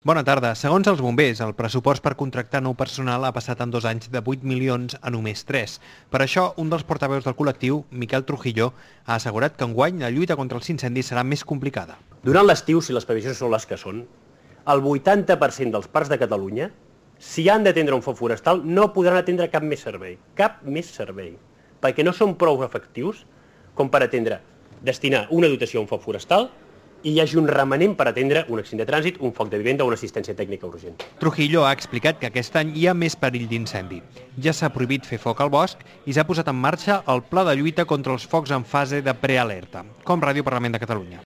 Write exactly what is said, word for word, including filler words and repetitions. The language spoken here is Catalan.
Bona tarda. Segons els bombers, el pressupost per contractar nou personal ha passat en dos anys de vuit milions a només tres. Per això, un dels portaveus del col·lectiu, Miquel Trujillo, ha assegurat que enguany la lluita contra els incendis serà més complicada. Durant l'estiu, si les previsions són les que són, el vuitanta per cent dels parcs de Catalunya, si han d'atendre un foc forestal, no podran atendre cap més servei. Cap més servei. Perquè no són prou efectius com per atendre, destinar una dotació a un foc forestal i hi hagi un remanent per atendre un accident de trànsit, un foc de vivenda o una assistència tècnica urgent. Trujillo ha explicat que aquest any hi ha més perill d'incendi. Ja s'ha prohibit fer foc al bosc i s'ha posat en marxa el pla de lluita contra els focs en fase de prealerta, com Ràdio Parlament de Catalunya.